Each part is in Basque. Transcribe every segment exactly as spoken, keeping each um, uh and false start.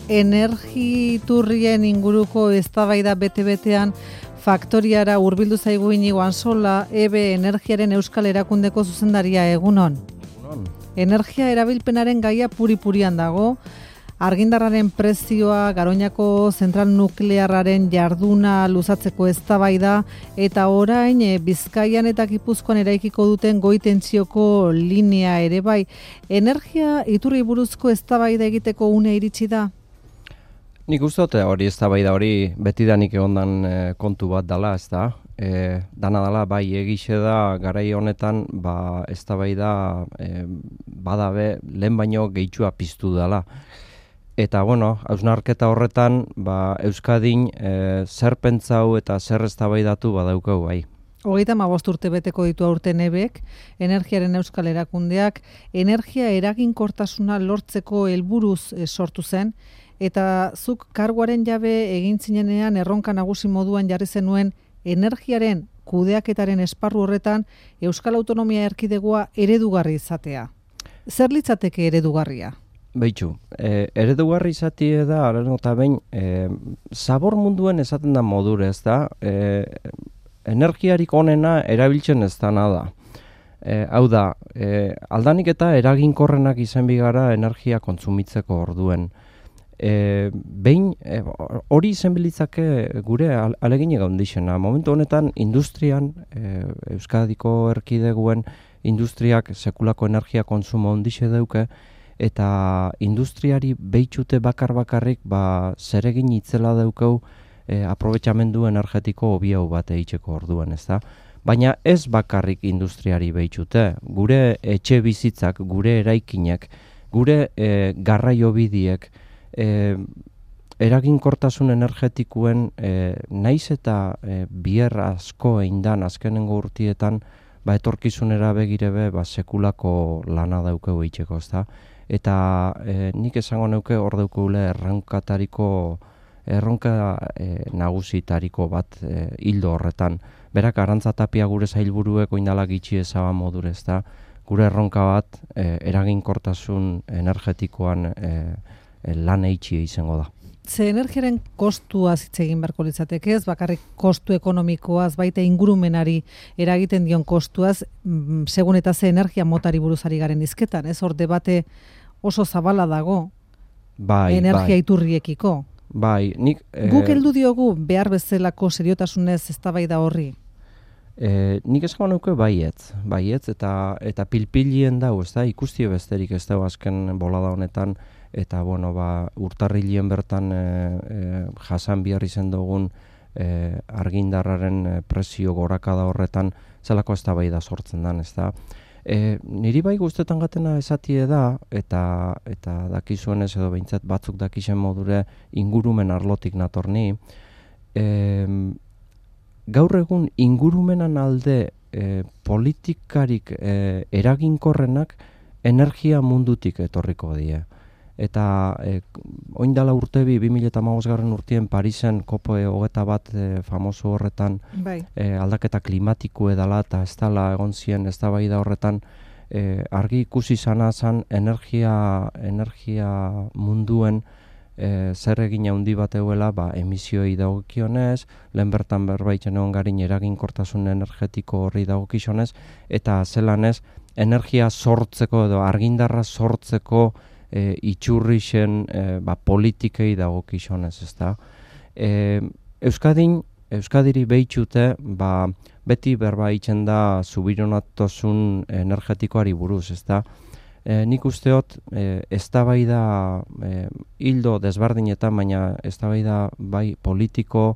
Energiturrien inguruko eztabaida bete-betean faktoriara hurbildu zaigu Inigo Ansola, E B E Energiaren Euskal Erakundeko zuzendaria, egunon. Egunon. Energia erabilpenaren gaia puri-purian dago. Argindarraren prezioa, Garoñako zentral nuklearraren jarduna luzatzeko eztabaida eta orain e, Bizkaian eta Gipuzkoan eraikiko duten goi-tentsioko linea ere bai. Energia iturri buruzko eztabaida egiteko une iritsi da? Nik uste dut hori eztabaida hori betidanik egondan e, kontu bat dala, ez da? E, dana dala, bai egixe da garai honetan ba, eztabaida e, badabe lehen baino gehitxua piztu dala. Eta, bueno, hausnarketa horretan, ba, Euskadin e, zer pentsau eta zer eztabaidatu badaukau bai. Hogeita hamabost urte beteko ditu aurten E B Ek, Energiaren Euskal Erakundeak, energia eraginkortasuna lortzeko helburuz e, sortu zen, eta zuk karguaren jabe egin zinenean erronka nagusi moduan jarri zenuen energiaren kudeaketaren esparru horretan Euskal Autonomia Erkidegoa eredugarri izatea. Zer litzateke eredugarria? Beitzu, e, eredugarri izatie da, arren eta behin, e, zabor munduen esaten da modure, ez da, e, energiarik onena erabiltzen ez dana da. E, hau da, e, aldanik eta eraginkorrenak izan bigara energia kontsumitzeko orduen. E, behin, e, hori izen bilitzake gure aleginik handixena. Momentu honetan, industrian, e, Euskadiko erkideguen industriak sekulako energia kontsumo handixe dauke, eta industriari behitxute bakar-bakarrik ba, zeregin itzela daukau e, aprobetxamendu energetiko hobiau bat eitzeko orduan, ez da? Baina ez bakarrik industriari behitxute, gure etxe bizitzak, gure eraikinek, gure e, garraio bidiek, e, eraginkortasun energetikuen e, naiz eta e, bier asko eindan azkenengo urtietan ba, etorkizunera begirebe ba, sekulako lana daukau eitzeko, ez da? Eta e, nik esango neuke hor daukule erronkatariko erronka e, nagusitariko bat e, hildo horretan. Berak Arantza Tapia gure sailburuek oindala gitxi ezaba modure, ez da, gure erronka bat e, eraginkortasun energetikoan e, e, lan eitxi izango da. Ze energiaren kostuaz hitz egin beharko litzateke, ez bakarrik kostu ekonomikoaz, baita ingurumenari eragiten dion kostuaz, mm, segun eta ze energia motari buruzari garen izketan, ez hor debate oso zabala dago bai, energia bai. iturriekiko. Bai, nik... E, Guk heldu diogu behar bezalako seriotasunez eztabaida horri? E, nik esango nuke baietz, baietz eta, eta pilpilien dau, ez da, ikusti besterik ez da azken bolada honetan, eta bueno, ba, urtarrilien bertan e, e, jasan bihar izen dugun e, argindarraren e, prezio gorakada horretan zelako eztabaida sortzen dan, ez da. E, niri bai guztetan gatena esatie da, eta, eta dakizuenez edo behintzat batzuk dakisen modure ingurumen arlotik natorni, e, gaur egun ingurumenan alde e, politikarik e, eraginkorrenak energia mundutik etorriko die. Eta e, oindala urtebi bi mila hamabosgarren urtien Parisen kopo hogeta bat e, famoso horretan bai. e, aldaketa klimatiko edala eta ez dala egon zien eztabaida horretan e, argi ikusi zana zan energia, energia munduen e, zer egin handi bat euela ba, emisioei dagokionez, lehen bertan berbaitzen egon garin eraginkortasun energetiko horri dagokionez, eta zelanez energia sortzeko edo argindarra sortzeko E, itxurrixen e, ba, politikei dagokionez, ez da. E, Euskadin, Euskadiri behitxute, ba, beti berba itzen da zubironatosun energetikoari buruz, ez da. E, nik usteot, e, eztabaida e, hildo desberdinetan, baina eztabaida bai politiko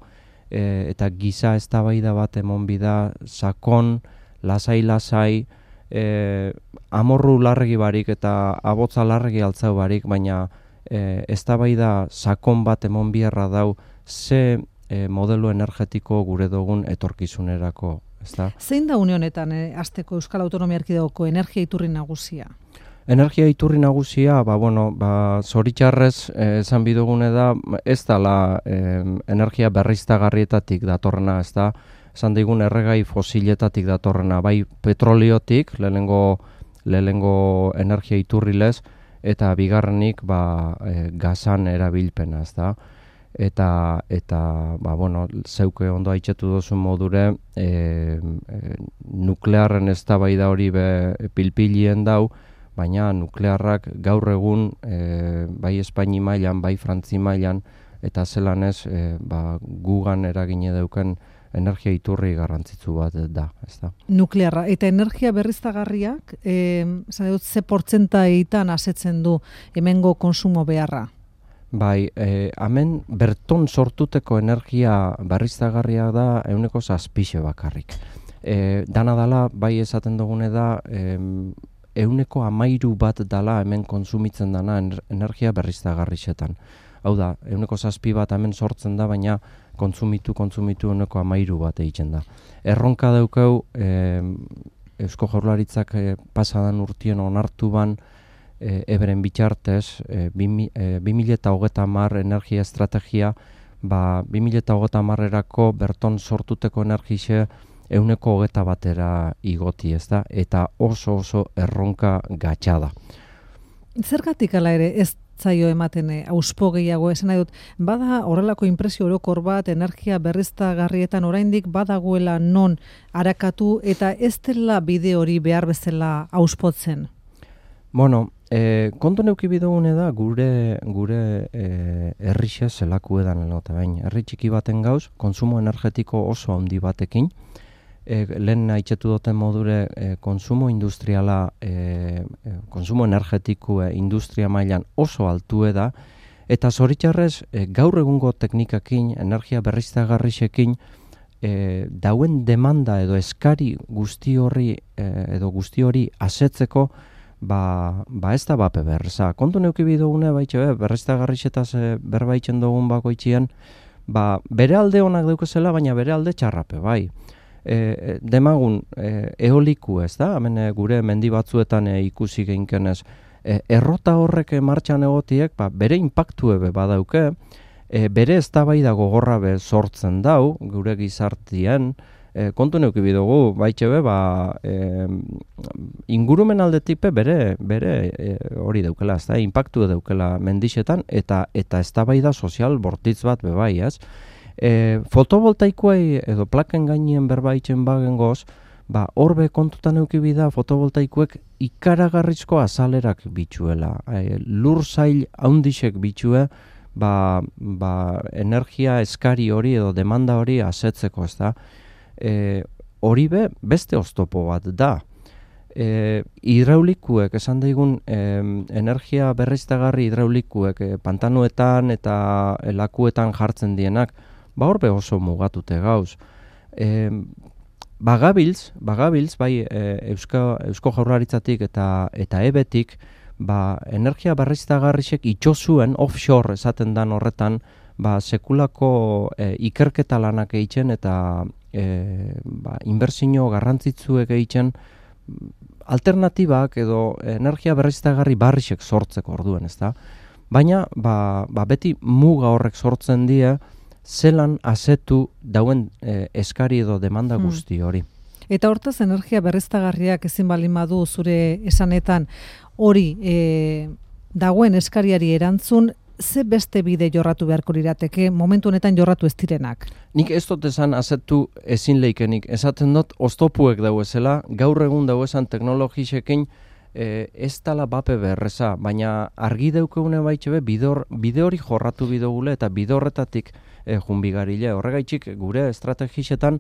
e, eta giza eztabaida bat emon bida sakon, lasai-lasai, E, amorru larregi barik eta abotza larregi altzau barik, baina e, eztabaida sakon bat emon biherra dau ze e, modelo energetiko gure dugun etorkizunerako, ezta? Zein da une honetan e, hasteko Euskal Autonomia Erkidegoko energia iturri nagusia? Energia iturri nagusia, ba, bueno, ba, zoritxarrez eh, esan bidugune da, ez dala eh, energia berriztagarrietatik datorrena, ez da, esan digun erregai fosiletatik datorrena, bai petroliotik, lehenengo, lehenengo energia iturrilez, eta bigarrenik ba, e, gazan erabilpena, ez da. Eta, eta ba, bueno, zeuke ondo aitzetu duzun modure, e, e, nuklearren eztabaida hori be pilpilien dau, baina nuklearrak gaur egun e, bai Espaini mailan, bai Frantzi mailan, eta zelan ez, e, ba, gugan eragine dauken energia iturri garrantzitsu bat da, ez da. Nuklearra. Eta energia berriztagarriak, e, dut, ze portzentaitan asetzen du hemengo konsumo beharra? Bai, e, hemen berton sortuteko energia berriztagarria da ehuneko zazpixe bakarrik. E, dana dala, bai esaten dugune da, e, ehuneko hamairu bat dala hemen konsumitzen dana energia berriztagarrixetan. Hau da, ehuneko zazpi bat hemen sortzen da, baina kontsumitu, kontsumitu ehuneko hamairu bat egiten da. Erronka daukau, e, Eusko Jaurlaritzak e, pasadan urtien onartu ban, e, eberen bitxartez, e, bi mila hogeita hamar energia estrategia, ba, bi mila hogeita hamarerako berton sortuteko energixe ehuneko hogeita batera igoti, ez da, eta oso oso erronka gatsa da. Zergatik ala ere ez zaio ematen auspo gehiago, esan nahi dut, bada horrelako inpresio orokor bat energia berriztagarrietan oraindik badagoela non arakatu eta ez dela bide hori behar bezala auspotzen? Bueno, e, kontu neuki bidogune da gure gure e, herrixe zelaku edan eta bain. Herri txiki baten gauz, konsumo energetiko oso handi batekin, E, lehen aitzetu duten modure e, konsumo industriala, e, e, konsumo energetiko e, industria mailan oso altue da, eta zoritxarrez e, gaur egungo teknikakin, energia berriztagarrixekin, e, dauen demanda edo eskari guzti hori e, edo guzti hori asetzeko, ba, ba ez da bape berreza. Kontu neuki bidugune baitxe be, berriztagarrixetaz e, berbaitzen dugun bakoitzien, ba, bere alde honak daukezela, baina bere alde txarrape, bai. E, demagun e, eoliku, ez da, hemen e, gure mendi batzuetan e, ikusi geinkenez, e, errota horrek martxan egotiek, ba, bere inpaktu ebe badauke, e, bere eztabaida gogorra be sortzen dau, gure gizartien, e, kontu neuki bidugu, baitxe be, ba, e, ingurumen aldetipe bere, bere e, hori daukela, ez da, inpaktu daukela mendixetan, eta eta eztabaida sozial bortitz bat be bai, ez? E, fotovoltaikoei edo plaken gainien berbaitzen bagengoz, ba, horbe kontutan eukibi da fotovoltaikoek ikaragarrizko azalerak bitxuela. E, lur zail haundixek bitxue, ba, ba, energia eskari hori edo demanda hori asetzeko, ez da. E, hori be, beste oztopo bat da. E, hidraulikuek, esan daigun, e, energia berriztagarri hidraulikuek, e, pantanuetan eta lakuetan jartzen dienak, ba horbe oso mugatute gauz. E, bagabiltz, bagabiltz, bai e, Eusko, Eusko Jaurlaritzatik eta eta ebetik, ba, energia berriztagarrixek itxosuen offshore esaten dan horretan, ba, sekulako e, ikerketa lanak egiten eta e, ba, inbertsio garrantzitsuek egiten alternatibak edo energia berriztagarri barrixek sortzeko orduen, ezta? Baina, ba, ba, beti muga horrek sortzen die, zelan asetu dauen e, eskari edo demanda guzti hori. Eta hortaz, energia berriztagarriak ezin baldin badu zure esanetan hori e, dagoen eskariari erantzun, ze beste bide jorratu beharko lirateke, momentu honetan jorratu ez direnak? Nik ez dut esan asetu ezin leikenik. Esaten dut, oztopuek dauezela, gaur egun dauezan teknologisekin, E, ez tala bape berreza, baina argi daukeune baitxe be, bide hori jorratu bidogule eta bide horretatik e, junbigarile. Horregaitxik gure estrategixetan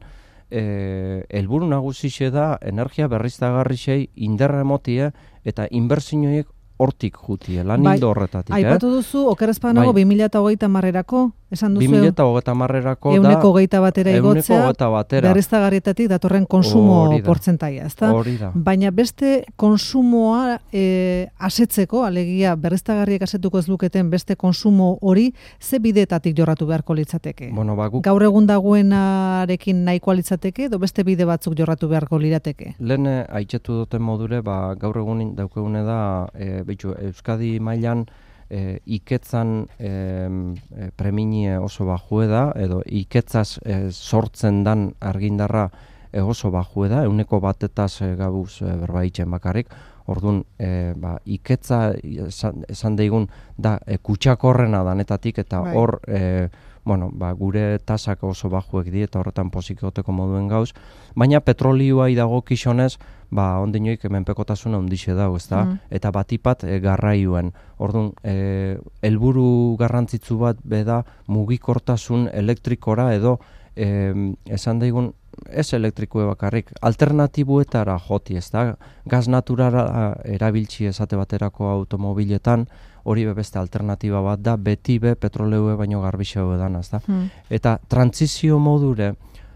e, helburu nagusixe da energia berriztagarrixei inderra emotie eta inbertsioiek hortik jutie, lan bai, hildo horretatik. Aipatu duzu, okerrezpanago, bai. bi mila hogeita hamarrerako, esan duzu? bi mila hogeita hamarrerako da, euneko hogeita batera igotzea, batera. berriztagarrietatik datorren konsumo portzentaia, ezta? Hori da. Baina beste konsumoa e, asetzeko, alegia berriztagarriek asetuko ez luketen beste konsumo hori, ze bidetatik jorratu beharko litzateke? Bueno, ba, guk... Gaur egun dagoenarekin nahikoa litzateke, edo beste bide batzuk jorratu beharko lirateke? Lehen aitzetu duten modure, ba, gaur egun daukegune da, e, Beitu, Euskadi mailan e, iketzan e, e, preminie oso bajue da, edo iketzaz e, sortzen dan argindarra e, oso bajue da, euneko batetaz e, gabuz e, berbaitzen bakarrik. Orduan, e, ba, iketza esan, esan daigun da e, kutsakorrena danetatik eta Bai. hor e, bueno, ba, gure tasak oso bajuek di eta horretan pozikoteko moduen gauz, baina petrolioa idago kixonez, ba, ondinoik menpekotasuna ondixe dago, ezta? Mm. Eta batipat e, garraioen. Orduan, e, helburu garrantzitsu bat beda mugikortasun elektrikora edo e, esan daigun ez elektrikoe bakarrik, alternatibuetara joti, ezta? Gaz naturala erabiltzi esate baterako automobiletan, hori beste alternatiba bat da, beti be petroleue baino garbixau edan, ezta? Hmm. Eta trantzizio modure,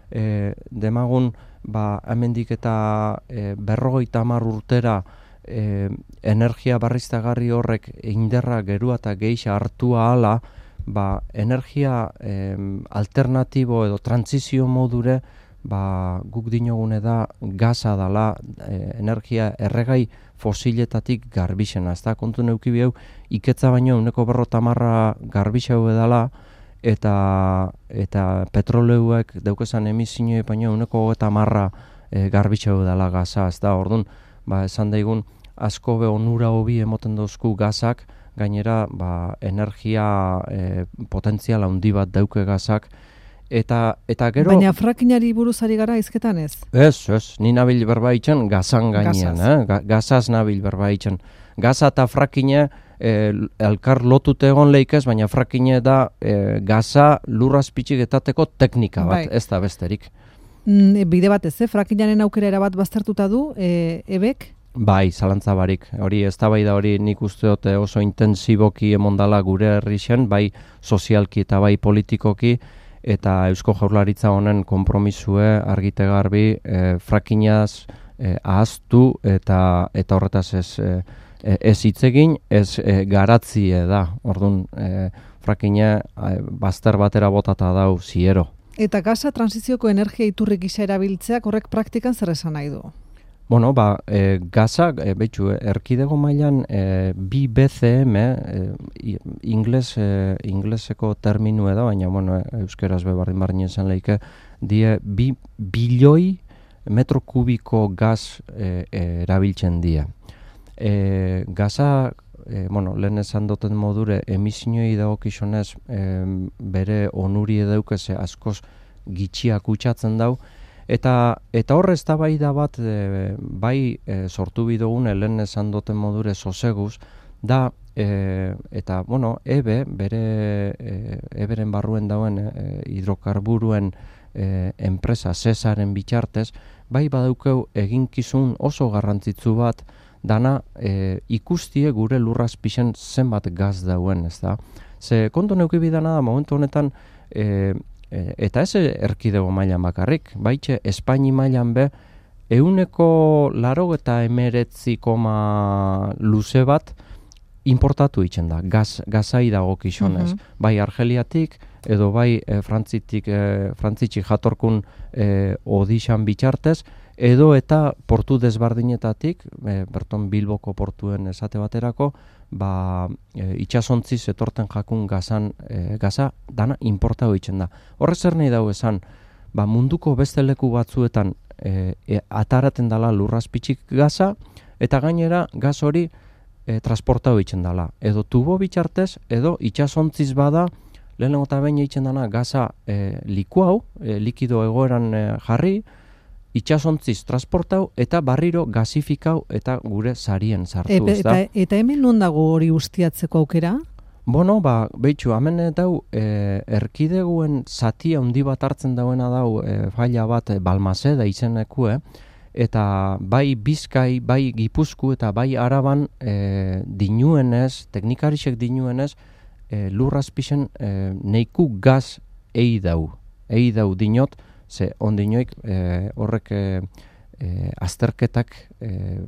e, demagun, ba, hemendik eta e, berrogeita hamar urtera e, energia barriztagarri horrek inderra gerua eta geixa hartua hala, ba, energia e, alternatibo edo trantzizio modure, ba, guk dinogune da gaza dala e, energia erregai fosiletatik garbixena, ezta? Kontu neuki bihau, iketza baino uneko berrota marra garbixau edala, eta eta petroleuek daukezan emisioe baino uneko eta marra e, garbixau edala gaza, ezta? Orduan, ba, esan daigun, asko be onura hobi emoten dozku gazak, gainera, ba, energia e, potentziala handi bat dauke gazak, Eta, eta gero... Baina frakinari buruz ari gara izketan ez? Ez, ez, ni nabil berbaitzen gazan gainean, eh? Ga, gazaz nabil berbaitzen. Gaza eta frakine eh, elkar lotute egon leikez, baina frakine da eh, gaza lurrazpitzik etateko teknika bat, bai. Ez da besterik. Mm, bide bat ez, eh? Frakinaren aukera erabat baztertuta du, e, ebek? Bai, zalantza barik. Hori, ez da bai da hori nik usteote oso intensiboki emondala gure herrixen, bai sozialki eta bai politikoki, eta Eusko Jaurlaritza honen konpromisue argite garbi e, frakinaz e, ahaztu eta eta horretaz ez e, ez hitzegin, ez e, garatzie da. Orduan, e, frakina e, bazter batera botata dau ziero. Eta gaza transizioko energia iturri gisa erabiltzeak horrek praktikan zer esan nahi du? Bueno, ba, e, gaza, e, betxu, erkidego mailan e, bi B C M, e, ingles, e, ingleseko terminu edo, baina, bueno, euskeraz bebardin barrien zen leike, die bi bilioi metro kubiko gaz e, e, erabiltzen die. E, gaza, e, bueno, lehen esan duten modure, emisioi dagokizunez e, bere onuri edaukeze askoz gitxiak utxatzen dau, Eta eta hor eztabaida bat e, bai e, sortu bidugun lehen esan duten modure soseguz da e, eta bueno, ebe bere e, eberen barruen dauen e, hidrokarburuen e, enpresa Cesaren bitartez bai badaukeu eginkizun oso garrantzitsu bat dana e, ikustie gure lurrazpixen zenbat gaz dauen, ezta? Ze kontu neuki bidana da momentu honetan e, eta ez erkidego mailan bakarrik, baitxe Espaini mailan be, euneko laro eta emeretzi koma luze bat importatu itzen da, gaz, gazai dago kixonez. Uh-huh. Bai Argeliatik, edo bai e, frantzitik, e, frantzitxik jatorkun e, odixan bitxartez, edo eta portu desbardinetatik, e, berton Bilboko portuen esate baterako, ba, e, itxasontziz etorten jakun gazan, e, gaza dana importa hoitzen da. Horre zer nahi dago esan, ba, munduko beste leku batzuetan e, e, ataraten dala lurrazpitzik gaza, eta gainera gaz hori e, transporta hoitzen dala. Edo tubo bitxartez, edo itxasontziz bada, lehenengo eta behin eitzen dana gaza e, liku hau, e, likido egoeran e, jarri, itxasontziz transportau eta barriro gazifikau eta gure sarien sartu. E, eta, eta hemen non dago hori ustiatzeko aukera? Bueno, ba, behitxu, hemen dau e, erkideguen zati handi bat hartzen dauena dau e, faila bat e, Balmaseda izenekue, eta bai Bizkai, bai Gipuzku eta bai Araban e, dinuenez, teknikarisek dinuenez, e, lurrazpixen e, neiku gaz ei dau. Ei dau dinot, ze ondinoik e, horrek e, e, azterketak e,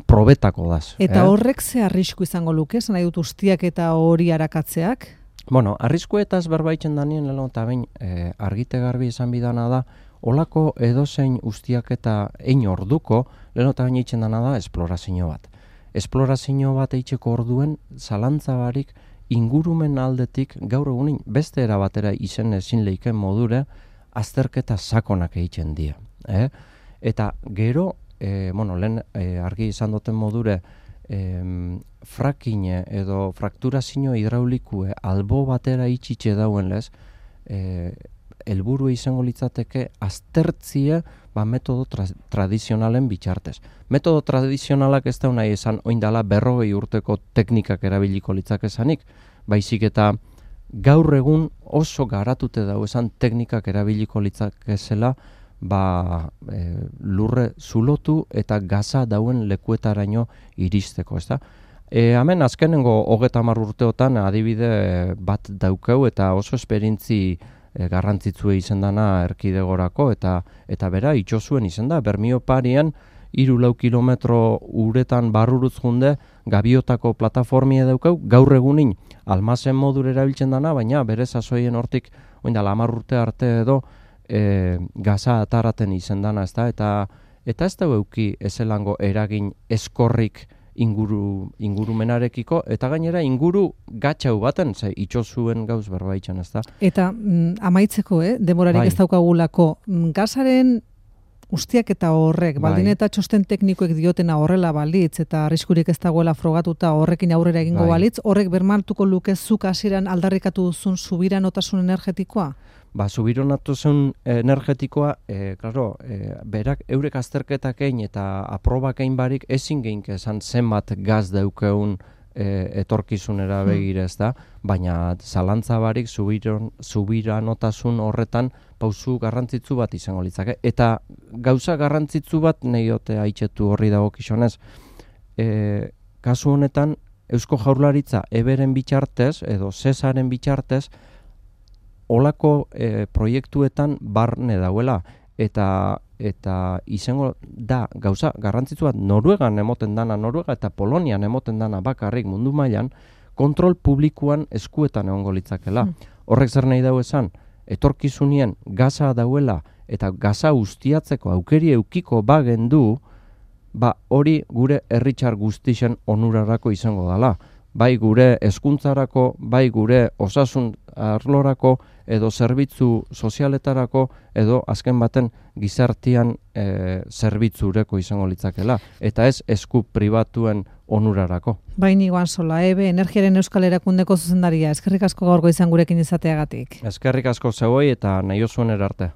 probetako daz. Eta eh? horrek ze arrisku izango luke, zan nahi dut ustiak eta hori arakatzeak? Bueno, arriskuetaz berbaitzen danien leheno eta bain e, argite garbi izan bidana da, olako edozein ustiak eta ein orduko, leheno eta bain eitzen dana da esplorazio bat. Esplorazio bat eitzeko orduen zalantzabarik ingurumen aldetik gaur egunin beste erabatera izen ezin leiken modure, azterketa sakonak egiten dira. Eh? Eta gero e, bueno, lehen e, argi izan duten modure, e, fracking edo frakturazio hidraulikue albo batera itxitxe dauen lez, e, helburu izango litzateke aztertzia ba, metodo tra tradizionalen bitxartez. Metodo tradizionalak ez da nahi esan oindala berrogei urteko teknikak erabiliko litzakezanik, baizik eta gaur egun oso garatute dau esan teknikak erabiliko litzakezela ba, e, lurre zulotu eta gaza dauen lekuetaraino iristeko, ez da? E, hemen azkenengo hogeta hamar urteotan adibide bat daukau eta oso esperientzi e, garrantzitsue izen dana erkidegorako eta eta bera itxosuen izen da, Bermio parian hiru lau kilometro uretan barrurutz junde gabiotako plataformia daukau, gaur egunin almazen modur erabiltzen dana, baina bere sasoien hortik oindala hamar urte arte edo e, gaza ataraten izen dana, ez da? Eta, eta ez da euki ezelango eragin eskorrik inguru, ingurumenarekiko, eta gainera inguru gatxau baten, ze itxosuen gauz berbaitzen, ez da? Eta mm, amaitzeko, eh? Demorarik bai. Ez daukagulako, mm, gazaren ustiak eta horrek, baldin eta txosten teknikoek diotena horrela balitz, eta arriskurik ez dagoela frogatuta horrekin aurrera egingo bai. balitz, horrek bermatuko luke zuk hasieran aldarrikatu duzun subiranotasun energetikoa? Ba, subiranotasun energetikoa, e, claro, e, berak eurek azterketak egin eta aprobak egin barik ezin gehink esan zenbat gaz daukeun e, etorkizunera begire, ez da, baina zalantza barik subiron, subiranotasun horretan pausu garrantzitsu bat izango litzake. Eta gauza garrantzitsu bat nehiote haitxetu horri dago kixonez. E, kasu honetan, Eusko Jaurlaritza eberen bitxartez, edo Sesaren bitxartez, olako e, proiektuetan barne dauela. Eta, eta izango da gauza garrantzitsu bat Noruegan emoten dana, Noruega eta Polonian emoten dana bakarrik mundu mailan, kontrol publikoan eskuetan egongo litzakela. Hmm. Horrek zer nahi dau esan, etorkizunien gaza dauela eta gaza ustiatzeko aukeri eukiko bagen du, ba hori gure herritxar guztixen onurarako izango dala. Bai gure hezkuntzarako, bai gure osasun arlorako, edo zerbitzu sozialetarako, edo azken baten gizartian e, zerbitzureko izango litzakela. Eta ez esku pribatuen onurarako. Baini Goansola, Ebe, Energiaren Euskal Erakundeko zuzendaria, eskerrik asko gaurgo izan gurekin izateagatik. Eskerrik asko zeuei eta nahi osuen erarte.